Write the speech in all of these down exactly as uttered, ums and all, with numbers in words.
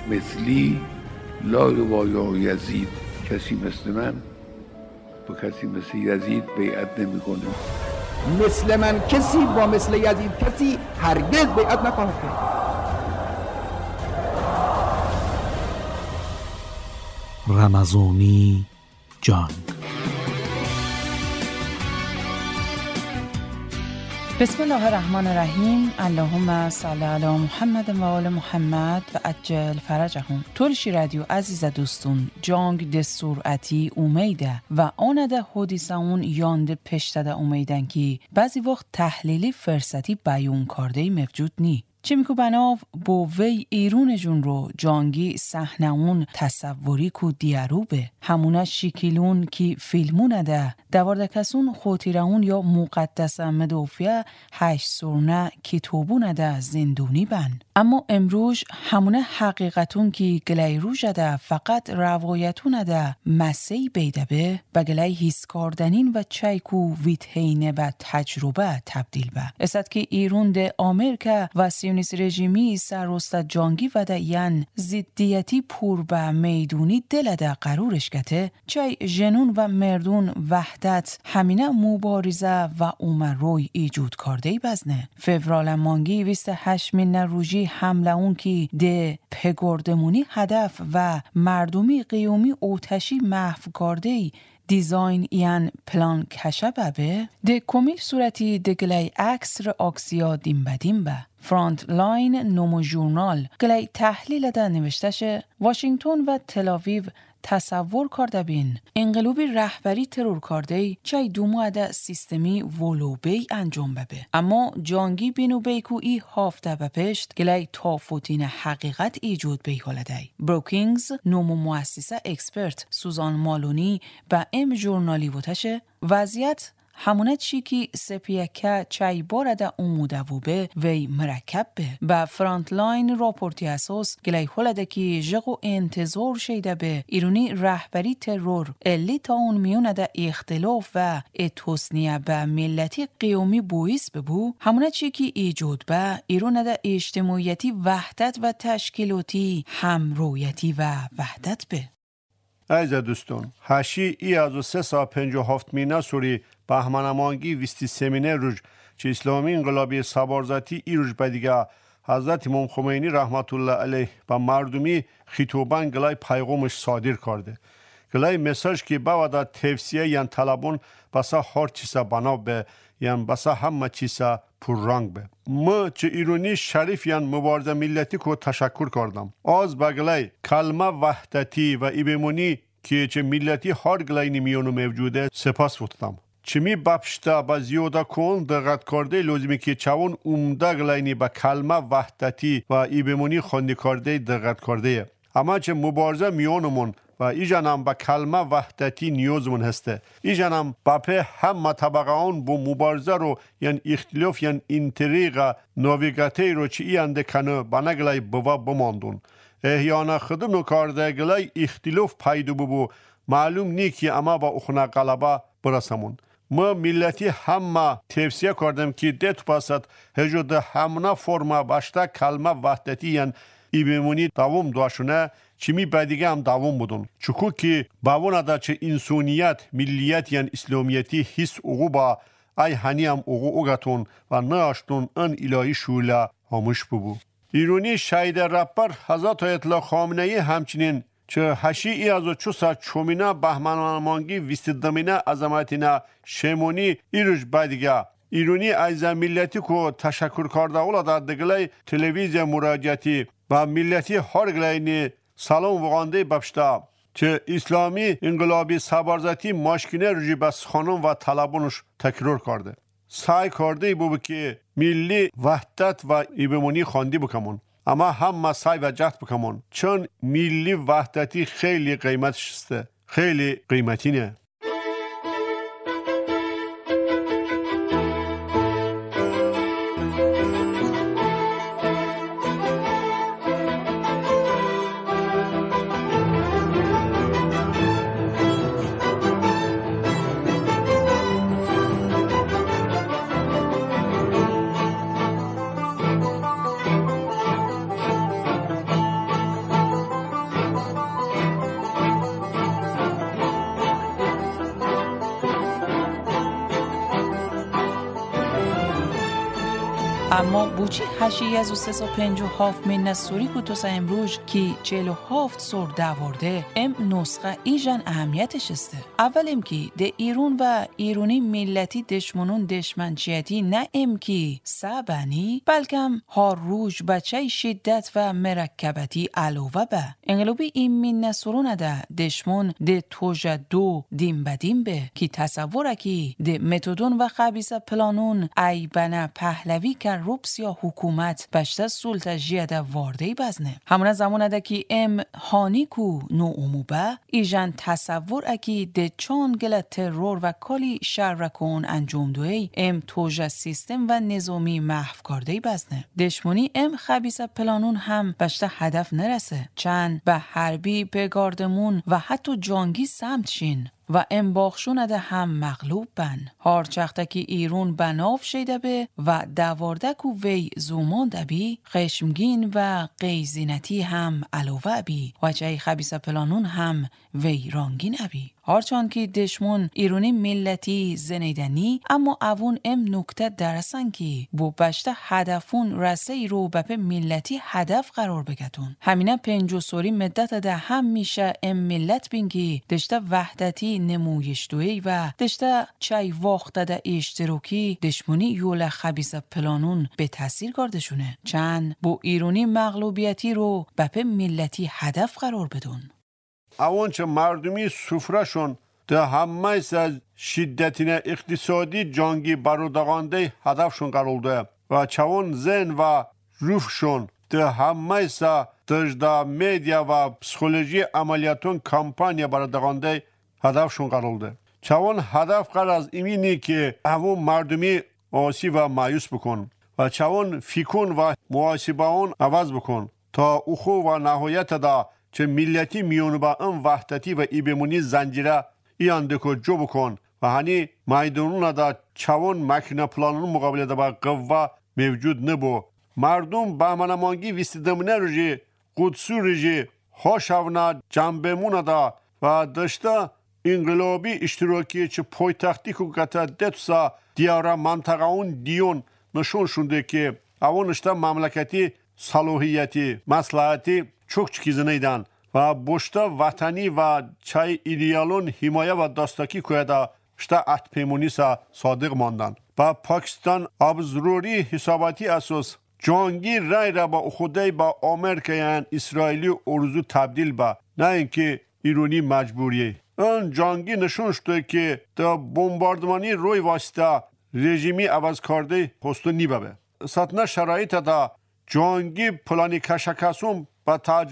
مثلی لا یبایع یزید، کسی مثل من با کسی مثل یزید بیعت نمی‌کنه. مثل من کسی با مثل یزید کسی هرگز بیعت نخواهد کرد. رمضانی جان. بسم الله الرحمن الرحیم. اللهم صل علی محمد و آل محمد و عجل فرجهم. تولشی رادیو عزیز دوستون جانگ ده سرعتی اومیده و آنده حدیثه اون یانده پشتده اومیدن که بعضی وقت تحلیلی فرصتی بیون کرده موجود نی. چه میکو بناو با وی ایرون جون رو جانگی صحنه اون تصوری کو دیاروبه همونه شکیلون کی فیلمونه ده دوارده کسون خاطره اون یا مقدس مدافع هشت سرنه کتابونه ده زندونی بن. اما امروز همونه حقیقتون کی گلی روژ ده فقط روایتون ده مسی بیده به و گلی حس کردنین و چایکو ویتهینه به تجربه تبدیل به است که ایرون ده آمریکا و سیونیست رژیمی سرست جانگی و ده ین ضدیتی پور به میدونی دل ده قرورش گته چای جنون و مردون وحدت همینه مبارزه و اومر روی ایجود کرده بزنه. فورال مانگی بیست و هشت من روژی حمله اون کی ده پگردمونی هدف و مردمی قیومی اوتشی محو کرده دیزاین ایان پلان کشه به ده کمیل صورتی ده گلی عکس را آکسیا دیم بدیم به فرانت لاین نومو ژورنال گلی تحلیل ده نوشتشه واشنگتن و تل‌آویو تصور کرده بین انقلابی رهبری ترور کرده چای دومو ده سیستمی ولوبی انجام بده. اما جانگی بینو بیکو ای هافته به پشت گلی تافوتین حقیقت ایجود بی حالده. بروکینگز نومو مؤسسه اکسپرت سوزان مالونی به ام ژورنالی وتشه وضعیت همونه چی که سپیکه چای بارده اوموده و به وی مرکب به به فرانت لاین راپورتی اساس گلی حالده که جغو انتظار شیده به ایرونی رهبری ترور الی تا اون میونه ده اختلاف و اتوسنیه به ملتی قیومی بویس ببو همونه چی که ایجود به ایرون ده اجتماعیتی وحدت و تشکیلاتی همرویتی و وحدت به. عزیز دوستان، هشی ای از سه سا پنج و هفت مینا سوری بهمنمانگی ویستی سمینه روز چه اسلامی انقلابی سبارزتی ای روز بدیگه حضرت امام خمینی رحمت الله علیه با مردمی خطابان گلای پیغامش صادر کرده. گلای مساج که باودا تفسیه یان طلبون بسا هر چیزا بنا به یان بسا همه چیزا پررنگ به. ما چه ایرونی شریف یان مبارزه ملتی کو تشکر کردم. از بگلای کلمه وحدتی و ایبمونی که چه ملتی هر گلای نمیونو موجوده سپاس بودم. چمی بپشتا با زیاده کن دقت کرده لازمی که چون عمده گلاینی با کلمه وحدتی و ایبمونی خوندی کرده دقت کرده. اما چه مبارزه میانمون و ایجانم با کلمه وحدتی نیازمون هسته. ایجانم بپه همه طبقه آن با مبارزه رو یعنی اختلاف یعنی انتریغ ناویگاتی رو چی اینده کنه بنا گلای بوا بماندون. احیانا خدمو کرده گلای اختلاف پیدا ببو معلوم نی که اما با اخنا غلبه برسمون. ما ملتی همه تفسیه کردم که ده پاسد هجود همنا فرما باشتا کلمه وحدتی یعنی ایبمونی دوام داشونه چمی بدیگه هم دوام بودن. چکو که باونا دا چه انسانیت ملیت یعنی اسلامیتی حس اوغو با ای هنی هم اوغو اوغتون و ناشتون ان الهی شوله همش ببو. ایرونی شاید رپر حضرت آیت الله خامنه ای همچنین چه هشی ای از چوسا چومینا بهمنمانگی ویستدمینا عظمتینا شمونی ایروش بدیگه ایرونی از ملتی کو تشکر کرده اولا در دگلای تلویزیون مراجعتی و ملتی هر گلاینی سلام وغانده بپشتا چه اسلامی انقلابی سبارزتی ماشکینه روژی بس خانم و طلبونش تکرار کرده. سعی کرده بو که ملی وحدت و ایبمونی خواندی بکمون. اما همه سعی و جهد بکمون چون ملی وحدتی خیلی قیمتش است، خیلی قیمتی نه. اما بوچی هشی از و سه و پنج و هفت من نسوری کتوسا امروز که چهل و هفت سر دوارده ام نسخه ایجان اهمیتش استه. اول ام که ده ایرون و ایرونی ملتی دشمنون دشمنچیتی نه ام که سبنی بلکم هر روز بچه شدت و مرکبتی علاوه به انقلابی این من نسورون ده دشمن ده توجه دو دیم بدیم به که تصوره که ده متدون و خبیث پلانون ای بنا پهلوی که روپس یا حکومت بشته سلطه جیده وارده بزنه. همونه زمان ده که ام هانی کو نو اموبه ایجان تصور اکی ده چان گله ترور و کالی شرکون انجام دوی ام توجه سیستم و نظامی محو کرده بزنه. دشمنی ام خبیث پلانون هم بشته هدف نرسه. چند به حربی پگاردمون و حتی جانگی سمت شین و ام باخشون ده هم مغلوب بن. هارچخته که ایرون بناف شیده به و دوارده کو وی زومان دبی خشمگین و قیزینتی هم علاوه بی و چه خبیث پلانون هم وی رانگین ابی. هرچند که دشمن ایرونی ملتی زنیدنی اما اوون ام نکته درسن که بو بشته هدفون رسه ای رو به ملتی هدف قرار بگتون. همینه پنج و سوری مدت ده هم میشه ام ملت بین که دشته وحدتی نمویش دوی و دشته چای واخته ده اشتراکی دشمنی یول خبیث پلانون به تاثیر گاردشونه. چند بو ایرونی مغلوبیتی رو به ملتی هدف قرار بدون. Avon çe merdumi sufraşon de hammaysa şiddetine iktisadi cangi barodağande hadafşon qaroldu ve çavon zen ve rufşon de hammaysa dışda medya ve psikoloji ameliyatın kampanya barodağande hadafşon qaroldu. Çavon hadaf qaraz imini ki avon merdumi asi ve mayus bukun ve çavon fikun ve muhasibaon avaz bukun ta uxu ve nihayet da چه ملتی میون با این وحدتی و ایبمونی زنجیره ایان دکو جو بکن و هنی میدانون دا چوان مکنه پلانون مقابله دا با قوه موجود نبو. مردم با منمانگی ویستیدمونه رجی قدسو رجی هاشونا جنبمون دا و دشتا انقلابی اشتراکی چه پایتختی که قطع دتسا دیارا منطقه اون دیون نشون شونده که اون اشتا مملکتی صلاحیتی مصلحتی çok çikizineyden ve boşta vatani ve çay idealun himaye ve dastaki koyada işte atpemunisa sadık mandan. Ve Pakistan abzururi hesabati asos cangi ray ra ba خودی با Amerikayan İsraili orzu تبدیل با نه اینکه ایرانی مجبوریه. اون جنگی نشون شده که تا بمباردمانی روی واسطه رژیمی عوض کرده پستو نیبه. ستنه شرایط دا جنگی پلانی کشکاسون با تاج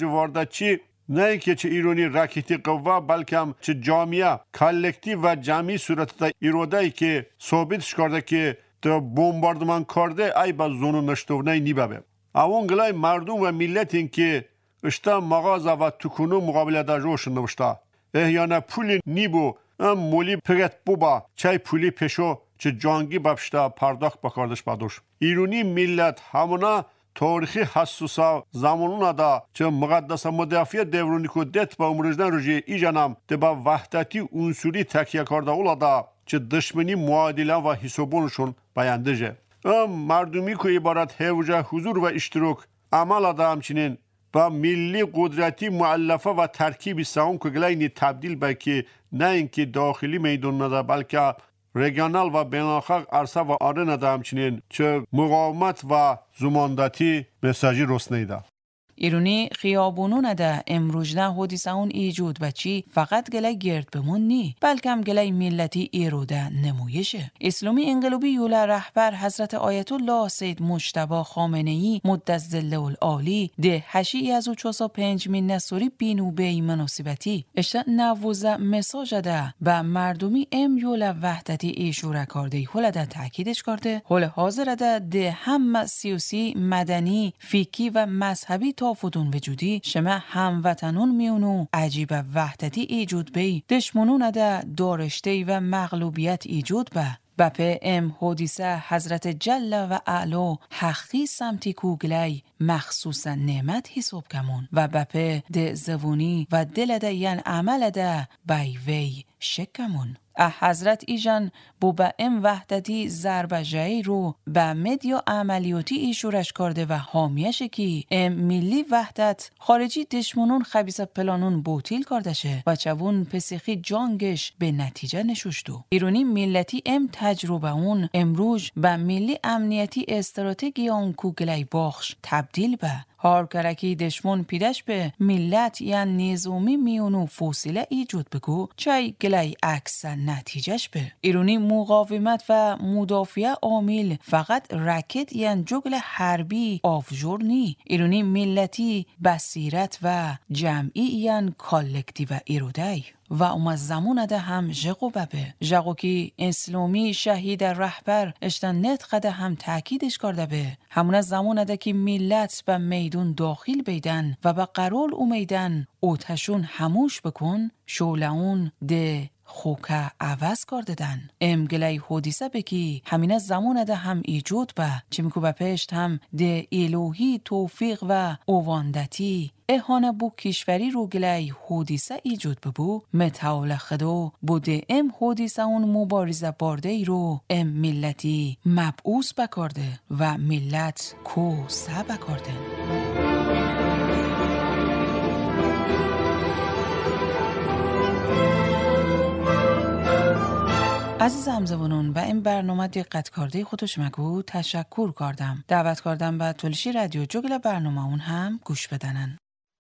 چی نه اینکه چه ایرانی راکتی قوه بلکه هم چه جامعه کلکتی و جمعی صورت دا ایروده که ثابت کرده که تا بمباردمان کرده ای با زونو نشتونه نیبه. اون گلای مردم و ملت این که اشتا مغازه و تکونو مقابله دا روشن نوشتا. احیانا پولی نیبو ام مولی پرت بوبا چای پولی پیشو چه جانگی بپشتا پرداخت بکردش بادوش. ایرانی ملت همونا تاریخی حسوسا zamanına da چه مقدس مدافع devruni ku det ba umrujdan ruji icanam de ba vahdati unsuri tekiye karda ola da چه دشمنی معادله و حسابونشون بیاندجه. ام مردمی که عبارت هوجه حضور و اشتراک عمل da همچنین با ملی قدرتی مؤلفه و ترکیب ساون که گلینی تبدیل به که نه اینکه داخلی میدان نده بلکه regional و بین‌الخلق عرصه و آرنا da همچنین چه مقاومت و زماندتی مساجی رسنیده. ایرونی خیابونون ده امروز نه حدیث اون ایجود بچی فقط گله گرد بمون نی بلکم گله ملتی ایروده نمایشه. اسلامی انقلابی یول رهبر حضرت آیت الله سید مجتبی خامنه ای مدت ظله العالی ده هشی از او چوسا پنج من نسوری بینو بی مناسبتی اشتا نوزه مساج ده و مردمی ام یول وحدتی ایشوره کرده هول ده تاکیدش کرده هول حاضر ده ده هم سیاسی مدنی فیکی و مذهبی تا فدون وجودی شما هموطنون میونو عجیب وحدتی ایجود بی دشمنون ده دارشته و مغلوبیت ایجود به بپه ام حدیثه حضرت جل و اعلا حقی سمتی کوگلی مخصوصا نعمت حساب کمون و بپه ده زبونی و دل ده ین عمل ده بی وی شکمون. اه حضرت ایجان بو به ام وحدتی ضربه جایی رو به مدیا عملیاتی ای شورش کرده و حامیش کی ام ملی وحدت خارجی دشمنون خبیث پلانون بوتیل کردشه و چوون پسیخی جانگش به نتیجه نشوشتو. ایرونی ملتی ام تجربه اون امروز به ملی امنیتی استراتژی اون کوگلی باخش تبدیل به هار کرکی دشمن پیدش به ملت یا نظامی میونو فوسیله ایجاد بگو چای گلی عکس نتیجهش به ایرونی مقاومت و مدافع عامل فقط رکت یا جگل حربی آفجور نی. ایرونی ملتی بصیرت و جمعی یا کالکتیو ایرودی و اوم زمان ده هم ژقو ببه ژقو که اسلامی شهید رهبر اشتن نت هم تاکیدش کرده به همون زمان ده که ملت به میدون داخل بیدن و به قرار اومیدن اوتشون هموش بکن شولعون ده خوکه عوض کردن. ام گلی حدیثه بکی همین زمان ده هم ایجاد به چه میکو به پشت هم ده الوهی توفیق و اواندتی اهانه بو کشوری رو گلی حدیثه ایجاد ببو متعال خدو بوده ام حدیثه اون مبارزه بارده ای رو ام ملتی مبعوث بکرده و ملت کو سه بکرده. عزیز همزبانون به این برنامه دقت کرده خودش مگو تشکر کردم. دعوت کردم به تولشی رادیو جگل برنامه اون هم گوش بدنن.